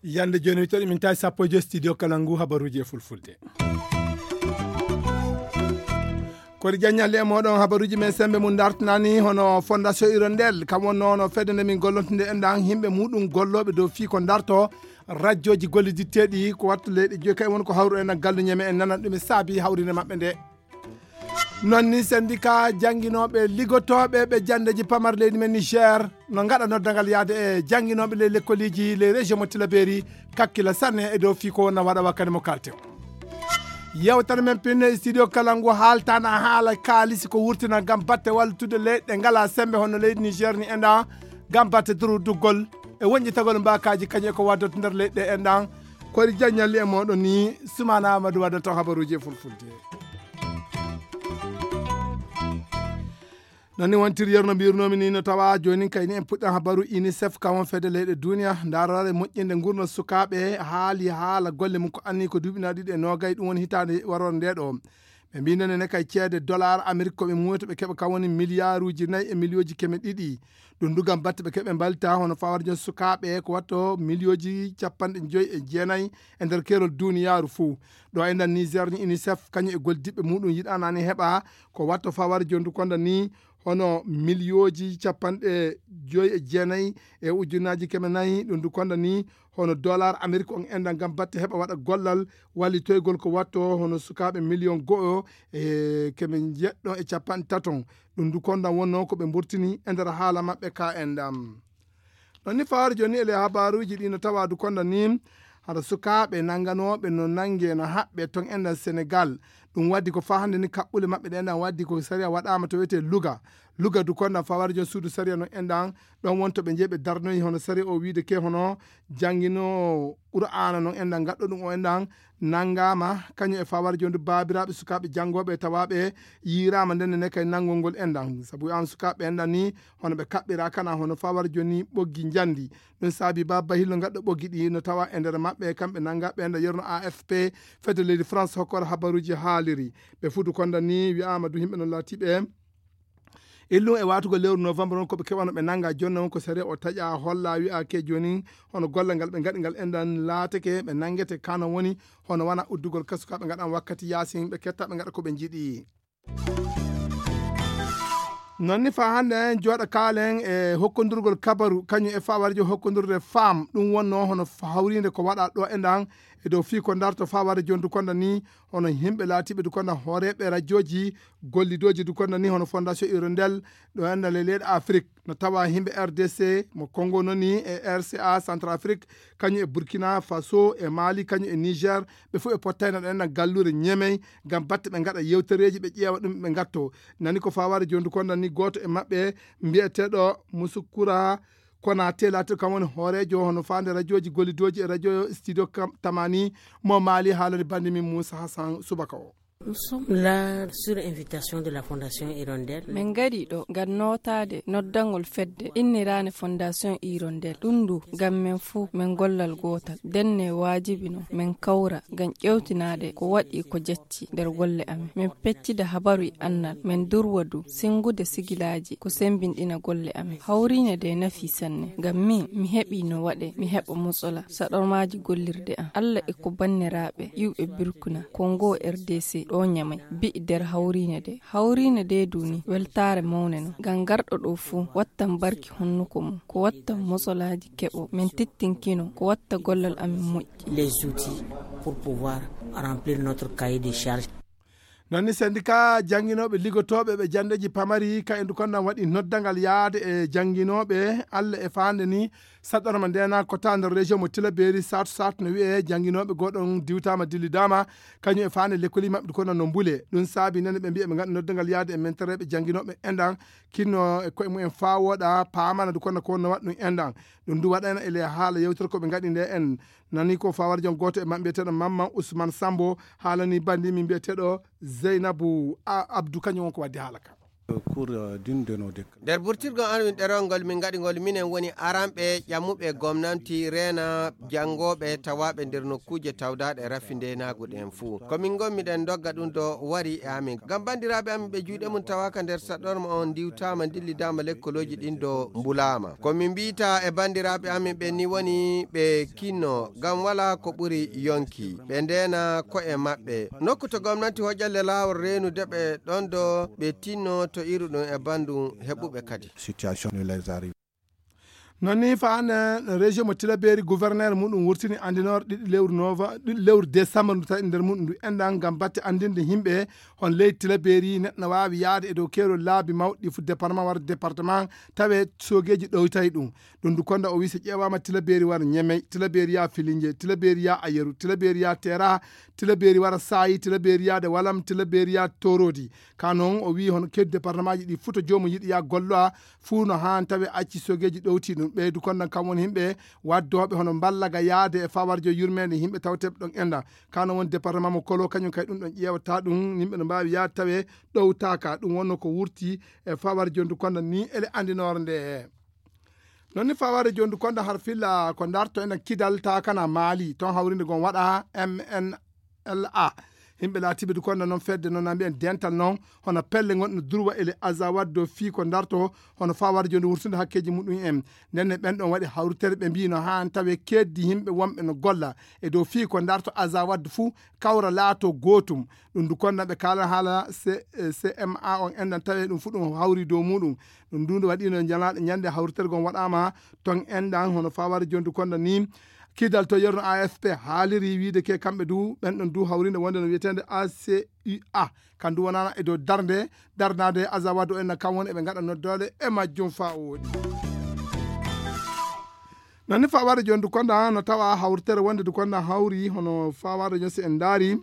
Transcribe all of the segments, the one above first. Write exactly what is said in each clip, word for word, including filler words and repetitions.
Yande joni wittoɗe min tawi sappo e joyi studio kala ngu habaruji e fulfulde. Kori jaññalle e moɗon habaruji men sembe mum dartinani hono fondation irondel kam wonno no fedde nde min gollontude en ɗan himɓe muɗum golloɓe dow fii ko darto rajjoji golliditteɗi ko wattu leyɗe joyi kay woni ko hawru en gallu ñeme en nanat ɗum e saabi hawrinde maɓɓe nde. Non ni syndicat jannginooɓe liggotooɓe ɓe janndeji pamar leydi men Niger no ngaɗa noddagal yaade e jannginooɓe ley lekkoliiji ley région mo Tilaberi kakkila sanne e dow fii ko wonna waɗa wakkati mo kalten. Yewtere men pinne e studio kala ngu haaltana haala kaalisi ko wurtina ngam batte wallutude leyɗe ngala sembe hono leydi Niger ni enɗan ngam batte duru duggol e wonƴitagol mbakaji kañum e ko waddata nder leyɗe enɗan. Kori jaññalli e moɗon ni Sumana Amadou wadda ton habaruji e fulfulde. Non ni wontiri yerno mbirnomi ni no tawa joni kayni en puɗɗan habaru unicef kam won fedde leyɗe duniya darorare moƴƴinde ngurno sukaɓe haali haala golle mum ko anni ko duuɓi na ɗiɗi e nogay ɗum woni hitande warore nde ɗo. Ɓe mbi nene ne kay ceede dollar amérique koɓe muwata ɓe keɓa kam woni milliarduji nayi e milliyoji keme ɗiɗi. Ɗum dugam batte ɓe keɓe mbalta hono fawar jon sukaɓe ko watto milliyoji capanɗe joyi e jeenayi e nder kerol duniyaaru fuu. Ɗo e nder niger ni unicef kañum e goldiɓɓe muɗum yiɗanani heɓa ko watto fawar jondu konda ni hono miliyooji capanɗe joyi e jeenayi e ujunnaji keme nayi ɗum du konda ni hono dollar amérique on enɗan ngam batte heɓa waɗa gollal wallitoygol ko watto hono sukaaɓe miliyon go'o e keme jeɗɗo e capanɗe taton. Ɗum du konda wonno ko ɓe mburtini e nder haala maɓɓe ka enɗam. Ɗon ni fawaade jooni ele habaruuji ɗi no tawa du konda ni hara sukaaɓe nannganooɓe no nannge no haɓɓe ton enɗan senegal. Ɗum waddi ko faa hannde ni kaɓɓule maɓɓe ɗe enɗan waddi ko sariya waɗaama to wiyetee luga. Luga du konda fawaade jooni suudu sariya no enɗan ɗon wonto ɓe njeeɓe darnoyi hono sariya o wiide ke hono jannginoowo qur'aana non enɗan gaɗɗo ɗum o enɗan nanngaama kañum e fawaade jooni du baabiraaɓe sukaaɓe janngooɓe e tawaaɓe yiiraama nden ne kay nanngol ngol enɗan sabu an sukaaɓe enɗan ni hono ɓe kaɓɓira kana hono fawar joni ɓoggi njandi. Ɗum saabi ba bahillo gaɗɗo ɓoggi ɗi no tawa e nder maɓɓe kamɓe nanga ɓe nda yerno afp fedde leydi france hokkora habaruji haaliri. Ɓe fuutu konda ni wi'ama du yimɓe no laatiɓe illum e watugo lewru novembre on koɓe keɓano ɓe nanga jonna on ko sariya o taƴa holla wi'ake joni hono golle ngal ɓe gaɗi ngal endan laatake ɓe nangete kano woni hono wona uddugol kasuka ɓe gaɗan wakkati yasin ɓe ketta ɓe gaɗa koɓe jiiɗi. Non ni fa hannde en jooɗa kaalen e hokkondurgol kabaru kañum e fawarjo hokkondurde faam ɗum wonno hono hawrinde ko waɗa ɗo e ndan e dow fii ko darto faware jondu konda ni hono yimɓe laatiɓe du konda hooreɓe rajooji gollidooji du konda ni hono fondation hirondel ɗo enɗan e leyɗe afrik no tawa yimɓe rdc mo congo noni e rca centrafrique kañum e burkina faso e mali kañum e niger ɓe fof ɓe pottayno ɗo enɗan gallure ñemey ngam batte ɓe ngaɗa yewtereeji ɓe ƴeewa ɗum ɓe ngatto. Nani ko fawaade jondu konda ni gooto e maɓɓe mbiyeteeɗo musukura kona telatir kam woni hooreejo hono faande rajooji gollidooji e rajo studio tamani mo maali haalani bande min moussa hassan subaka o. Nous sommes là sur invitation de la fondation hirondel. Min ngari ɗo ngam nootaade noddangol fedde inniraande fondation hirondel ɗum ndu ngam min fuu min gollal gootal ndenne waajibi no min kawra ngam ƴeewtinaade ko waɗi ko jacci nder golle amin min peccida habaru e annal min durwa du sinngude sigilaaji ko semmbinɗina golle amin hawriine de nafi sanne ngam min mi heɓi no waɗe mi heɓa mosola saɗormaaji gollirde am allah e ko banniraaɓe iwɓe burkina kongo rdc ɗo ñamay bi'i nder hawriine de hawriine de duni weltaare mawne no ngam garɗo ɗo fuu wattan barki honnuko mum ko wattan mosolaaji keɓo min tittinkino ko watta gollal amin moƴƴi. Les outils pour pouvoir remplir notre cahier de charge. Non ni syndicat jannginooɓe liggotooɓe ɓe janndeeji pamari ka endu kondan waɗi noddangal yaade e jannginooɓe allah e faande ni saɗɗorma ndena kota nder région mo tilaberi satu satu no wiye jannginooɓe goɗon diwtama dillidaama kañum e faande lekkoli maɓɓe kono no mbule ɗum saabi nene ɓe mbiya ɓe ngaɗa noddangal yaade e mentereeɓe jannginooɓe enɗan kinno e koye mumen faa wooɗa paamana du kono ko wonno waɗa ɗum enɗan. Ɗum du waɗayno ele haala yewtere ko ɓe ngaɗi nde en nani ko fawarjon gooto e maɓɓe mbiyeteeɗo mamman ousmane sambo haalani bandi min mbiyeteeɗo zeynabu abdou kañum won ko waddi haala ka. Nder burtirgol amin ɗerewol ngol, min ngaɗi ngol minen woni aranɓe ƴammuɓe gomnanti reena janngooɓe tawaaɓe nder nokkuuje tawdaaɗe rafi ndeenaagu ɗen fuu. Ko min ngonmi ɗen ndogga ɗum ɗo wari e amin. Ngam banndiraaɓe amin ɓe juuɗe mum tawaaka nder saɗorma on ndiwtaama, ndillidaama lekkolooji ɗin ɗo mbulaama. Ko min mbiyta e banndiraaɓe amin ɓen ni woni ɓe kinno, ngam walaa ko ɓuri yonki. Ɓe ndeena ko'e maɓɓe. Nokku to gomnanti hoƴalle laawol reenude ɓe ɗon ɗo ɓe tinno to iru ɗum e banndum heɓuɓe kadi. Situation de les arrivées. Non ni faande région mo Tilaberi, gouverneur muɗum wurtini andinor ɗiɗi lewru nova-, ɗiɗi lewru décembre ndu tawi nder muɗum ndu enɗan ngam batte andinde yimɓe hon leydi Tilaberi neɗɗo waawi yaade e dow keerol laabi mawɗi fu département wara département tawe soogeeji ɗowtay ɗum. Ɗum ndu konda o wi so ƴeewaama Tilaberi wara Ñemey, Tilaberi yaa Filinje, Tilaberi yaa Ayeru, Tilaberi yaa Tera, Tilaberi wara Saayi, Tilaberi yaade Walam, Tilaberi yaa Torodi. Ka non o wi hono keedi département ji ɗi fuu to joomum yiɗi yaa golloa fuu no haan tawe acci soogeeji ɗowti ɗum. Ɓeydu kondan kam woni yimɓe waddooɓe hono mballaga yaade e fawarjo yurmeende yimɓe tawteɓe ɗon enɗan. Ka non woni département mo Kolo kañum kay ɗum ɗon ƴeewata ɗum yimɓe no mbaawi yaade tawe ɗowtaaka. Ɗum wonno ko wurti e fawarjo ndu kondan ni ele andinoore nde. Non ni fawarjo jondu konda har filla ko darto enen Kidal ta kana Maali ton hawrinde gon waɗa M N L A. Yimɓe laatiɓe du konda non fedde non na mbiyen dental non hono pelle gonɗe durwa ele Azawad dow fii ko darto hono fawarjo ndu wurtude hakkeji muɗum en. Nden ne ɓen ɗon waɗi hawritere ɓe mbii no haan tawe keddi yimɓe wonɓe no golla e dow fii ko darto Azawad fuu kawra laato gootum. Ɗum du konda ɓe kaala haala C-, eh, C M A on enɗan tawe ɗum fuu ɗum hawri dow muɗum. Ɗum du ndu waɗino ñalaaɗe ñande hawritergo on waɗaama ton enɗan hono fawaade jondu konda ni. Kidal to yerno A F P haaliri wiide ke kamɓe du ɓen ɗon du hawrinde wonde no wiyeteende A C U A. Kan du wonana e dow darnde, darnaade Azawad o enna kam woni eɓe ngaɗa noddoole e majjum faa wooɗi. Non ni fawaade jondu konda no tawa hawritere wonde du konda hawri hono fawaade jon si en ndaari.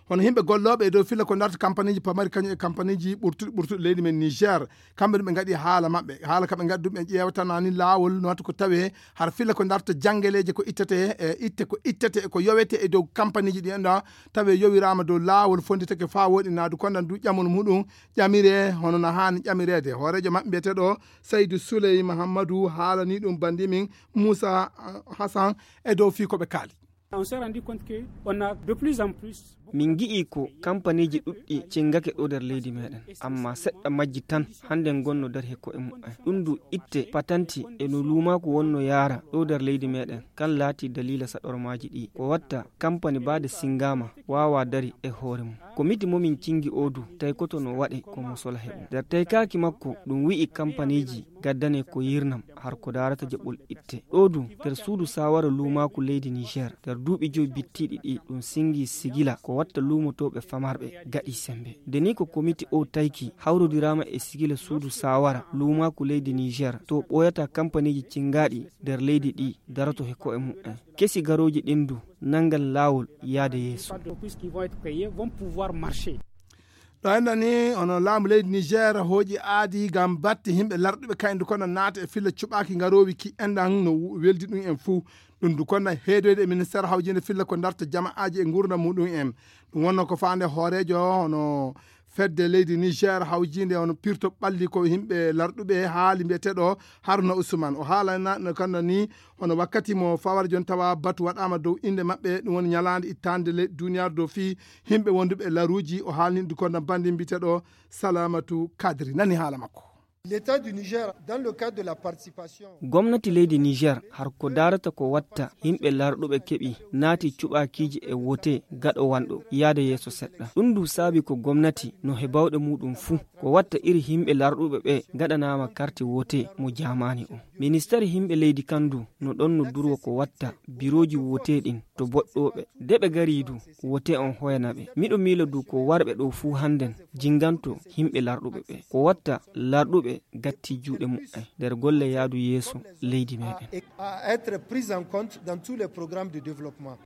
Hono yimɓe gollooɓe e dow filla ko darta kampaniji pamari kañum e kampaniji ɓurtuɗi ɓurtuɗi leydi men Niger. Kamɓe ɗum ɓe ngaɗi haala maɓɓe. Haala ka ɓe ngaɗi ɗum ɓe ƴeewatana ni laawol no wata ko tawe har filla ko darta janngeleeje ko ittete e itte ko ittete e ko yowete e dow kampaniji ɗi enɗa tawe yowiraama dow laawol fonditake faa woɗi naadu kondan du ƴamol muɗum ƴamire hono no haani ƴamireede. Hooreejo maɓɓe mbiyeteeɗo Saydu Suley Mahammadu haalani ɗum bandi min Muusa Hasan e dow fii ko ɓe kaali. On s'est rendu compte que on a de plus en plus. Min ngi'i ko kampaniiji ɗuɗɗi cingake ɗo nder leydi meɗen, amma seɗɗa majji tan hannde ngonno dari he ko'e mumen. Ɗum du itte patanti e no luumaaku wonno yaara ɗo nder leydi meɗen, kan laati daliila saɗormaaji ɗi. Ko watta kampani baade singama waawa dari e hoore mum. Komiti mo min cingi o du, tawi koto no waɗe ko mo sola heɓum. Nder taykaaki makko, ɗum wi'i kampaniiji gaddane ko yirnam har ko daarata jaɓɓol itte. Ɗo du, nder suudu saawara luumaaku leydi Niger, nder duuɓi joyi bittiiɗi ɗi, ɗum singi sigila ko watta luumotooɓe famarɓe gaɗi sembe. Nde ni ko komiti o tayki hawrodiraama e sigila suudu saawara luumaaku leydi Niger, to ɓooyata kampaniiji cingaaɗi nder leydi ɗi daroto he ko'e mumen. Kesi garooji ɗin du nangan laawol yaade yeeso. D'entreprises qui vont être payées vont pouvoir marcher. Ɗo enɗan ni hono laamu leydi Niger hooƴi aadi ngam batte yimɓe larɗuɓe kayndi kono naata e filla cuɓaaki ngaroowi ki enɗan no weldi ɗum en fuu. Ɗum du kono heedoyde e ministeer hawjinde filla ko darta jama'aaji e nguurndam muɗum en. Ɗum wonno ko faande hooreejo hono fedde leydi Niger hawjinde hono pirto ɓalli ko yimɓe larɗuɓe haali mbiyeteeɗo Haruna Usman. O haalana no kanno ni hono wakkati mo fawara jon tawa batu waɗaama dow innde maɓɓe, ɗum woni ñalaande ittaande leydi duniyaaru dow fii yimɓe wonduɓe e laruuji. O haalni ɗum ko no banndi mbiyeteeɗo Salamatu Kadri. Nani haala makko. L'État du Niger, dans le cadre de la participation. Gomnati leydi Niger, har ko daarata ko watta yimɓe larɗuɓe keɓi naati cuɓaakiiji e wote gaɗo wanɗo yaade yeeso seɗɗa. Ɗum du saabi ko gomnati no he bawɗe muɗum fuu. Ko watta iri yimɓe larɗuɓe ɓe gaɗanaama karti wote mo jaamaani o. Ministeer yimɓe leydi kan du no ɗon no durwa ko watta birooji wote ɗin to boɗɗooɓe. De ɓe garii du, wote on hoyana ɓe. Miɗo miila du ko warɓe ɗo fuu hannden jinganto yimɓe larɗuɓe ɓe. Ko watta larɗuɓe gatti juuɗe muɓɓen nder golle yaadu yeeso leydi meɗen. À, à être prise en compte dans tous les programmes de développement.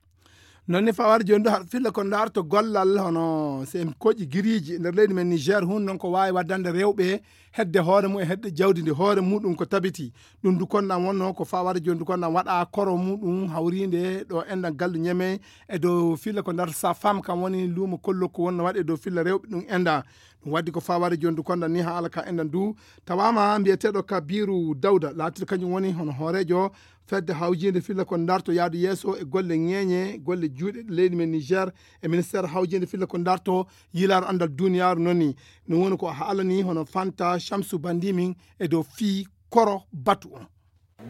Noon ne fawar jooni ɗo haɗa filla ko ndaarto gollal hono sen koƴi giriiji nder leydi men Niger hun noon ko waawi waddande rewɓe hedde hoore mum e hedde jawdi ndi hoore muɗum ko tabiti. Ɗum du konɗan wonno ko fawar jooni du konɗan waɗa koro muɗum hawrinde ɗo enɗan gallu ñeme e dow filla ko ndaarto sa femme kam woni luumo kollo ko wonno waɗe dow filla rewɓe ɗum enɗan. Ɗum waddi ko fawar jooni du konɗan ni ha alaka enɗan du tawama mbiyeteɗo Kabiru Dawda laatiɗo kañum woni hono hoorejo fedde hawjinde filla ko ndarto yaadu yeeso e golle ŋeeñe golle juuɗe leydi men Niger e ministère hawjinde filla ko ndarto yilaaro andal duniyaaru noni. Ɗum woni ko haalani hono Fanta Shamsu Bandimin e dow fii koro batu on.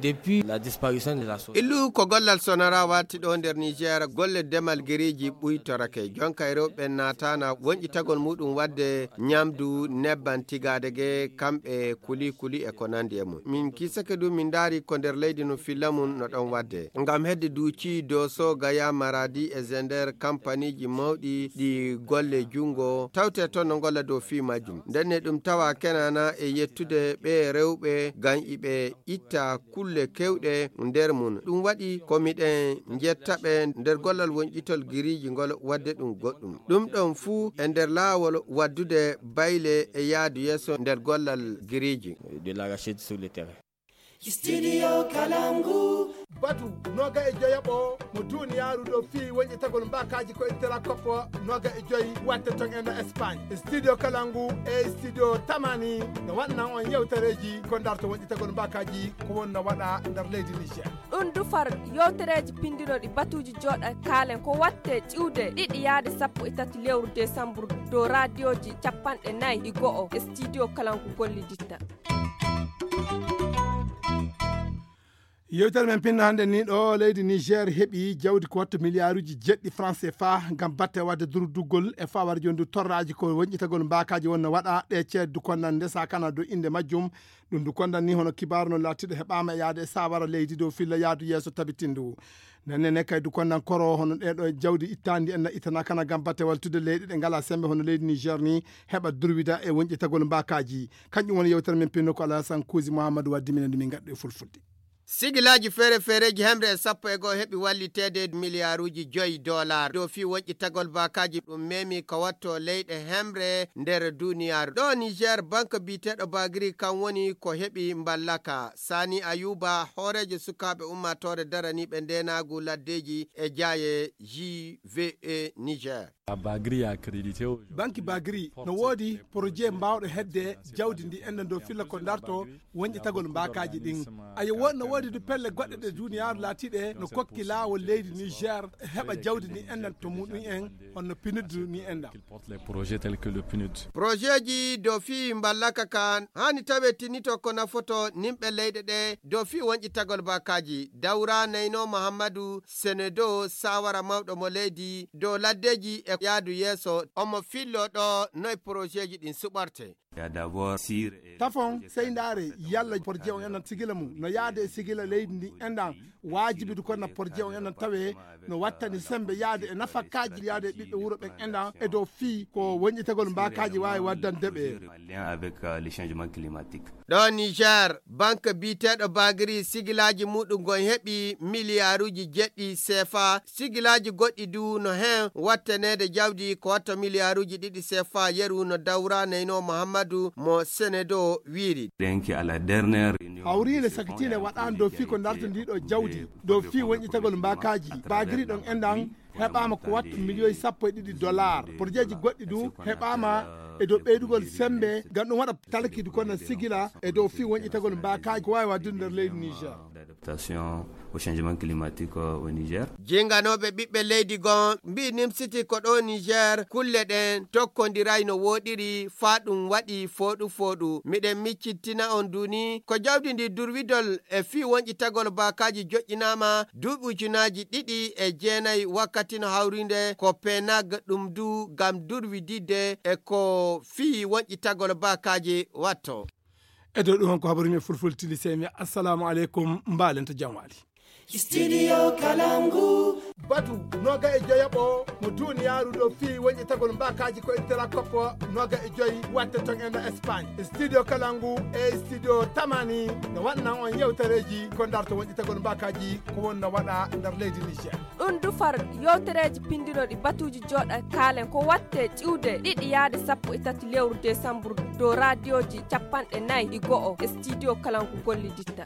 Depuis la disparition de la SONARA. Illu ko gollal sonara watti ɗo nder Niger golle demal geriji ɓuytorake jonka e rewɓe natana wonƴitagol muɗum wadde ñamdu nebban tigade ge kamɓe kuli kuli e ko nandi e mum. Min kisake du min ndaari ko nder leydi no filla mum no ɗon wadde. Ngam hedde duuci Doso, Gaya, Maradi e Zender kampaniji mawɗi ɗi golle jungo tawte toon no golla dow fii majjum. Ndenne ɗum tawa kenana e yettude ɓe rewɓe ngam iɓe itta kulle kewɗe nder mum. Ɗum waɗi ko miɗen njettaɓe nder gollal wonƴitol giriiji ngol wadde ɗum goɗɗum. Ɗum ɗon fuu e nder laawol waddude bayle e yaadu yeeso nder gollal giriiji. De l'arachide sur le terrain. Studio Kalangu. Batu noga e joyaɓo mo duniyaaru ɗo fii wonƴitagol mbakaji ko intera koppo noga e joyi watte ton e no Espagne. Studio Kalangu e studio Tamani no waɗnan on yewtereji ko ndarto wonƴitagol mbakaji ko wonno waɗa nder leydi Niger. Ɗum dufar yewtereji pindinoɗi batuji joɗa kaalen ko watte ƴiwde ɗiɗi yaade sappo e tati lewru desambur dow radioji capanɗe nayi e go'o e studio Kalangu golliditta. Yewtere men pinno hannde ni ɗo leydi Niger heɓi jawdi ko watta miliyaaruji jeɗɗi franc C F A ngam batte wadde durduggol e fawar jondu torraji ko wonƴitagol mbakaji wonno waɗa ɗe ceeddu konnan ndesa kana dow inde majjum. Ɗum du kondan ni hono kibaru no laatiɗo heɓama e yaade e sawara leydi dow filla yaadu yeeso tabitindu. Nannene kay du kondan koro hono ɗeɗo jawdi ittandi en na ittana kana ngam batte waltude leyɗe ɗe ngala sembe hono leydi Niger ni heɓa durwida e wonƴitagol mbakaji. Kanƴum woni yewtere men pinno ko Alasan Kuusi Muhammadu waddi minen ɗum min gaɗɗo e fulfulde. Sigilaaji feere-feereeji hemre e sappo e goo heɓi walliteede miliyaaruuji joyi dolaar dow fii woƴƴitagol baakaaji ɗum memi ka watto leyɗe hemre nder duniyaaru. Ɗo Niger, bank biyeteeɗo Bagri kan woni ko heɓi mballaka. Sani Ayuba, hooreejo sukaaɓe ummaatoore daraniiɓe ndeenaagu laddeeji e jaaye J V E Niger. Banki Bagri no woodi projet mbaawɗo hedde jawdi ndi enda dow filla ko darto wonƴitagol mbaakaaji ɗin. Ayo wo-, no woodi du pelle goɗɗe ɗe duniyaaru laatiiɗe no kokki laawol leydi Niger heɓa jawdi ndi endan to muɗum en honno PNUD ni enda. Projetji dow fii mballaka kan hani tawe tinito ko nafoto nimɓe leyɗe ɗe dow fii wonƴitagol baakaaji. Dawra Neyno Muhammadu Senedo, sawara mawɗo mo leydi dow laddeji e yaadu yeeso, omo fillo ɗo noy projetji ɗin suɓorte. Tafon, sey ndaare yalla projet on enan sigila mum no yaade e sigila leydi ndi enɗan waajibi du konna projet on enan tawe no wattani sembe yaade e nafakaaji yaade e ɓiɓɓe wuro ɓen enɗan e dow fii ko wonƴitagol mbaakaaji waawi waddande ɓe. Ɗo Niger, banque biyeteeɗo Bagri sigilaaji muɗum gon heɓi miliyaaruuji jeɗɗi sefa. Sigilaaji goɗɗi du no hen wattaneede jawdi ko watta miliyaaruuji ɗiɗi sefa yeru no Dawra Neyno Muhammadu mo Senedo wiiri. Hawriinde sakitiinde waɗaande dow fii ko darta ndiɗo jawdi dow fii wonƴitagol mbaakaaji Bagri ɗon enɗan heɓaama ko watta miliyoyi sappo e ɗiɗi dollar. Porjeeji goɗɗi du heɓaama e dow ɓeydugol sembe ngam ɗum waɗa talkidu kono sigila e dow fii wonƴitagol mbaakaaji ko waawi waɗdude nder leydi Niger. Adaptation au changement climatique au Niger. Jinganooɓe ɓiɓɓe leydi gon mbii nimsiti ko ɗo Niger kulle ɗen tokkondiray no wooɗiri faa ɗum waɗi fooɗu fooɗu. Miɗen miccittina on duni ko jawdi ndi durwidol e fii wonƴitagol baakaaji joƴƴinaama duuɓi ujunaaji ɗiɗi e jeenayi wakkati no hawrinde ko penag ɗum du ngam durwididde e ko fii wonƴitagol baakaaji watto. E dow ɗum on ko habaru men fulfulde tili sey mi assalamu aleykum mbaalen to jam waali. Studio Kalangu. Batu noga e joyaɓo mo duniyaaru ɗo fii wonƴetagol mbaakaaji ko e tela koppo noga e joyi watte ton e no Espagne. Studio Kalangu e studio Tamani no waɗnan on yewtereeji ko ndarto wonƴetagol mbaakaaji ko won no waɗa nder leydi Niger. Ɗum dufar yewtereeji pinndinooɗi batuuji jooɗa kaalen ko watte ƴiwde ɗiɗi yaade sappo e tati lewru desambur dow raadiyooji capanɗe nayi e go'o e studio Kalangu golliditta.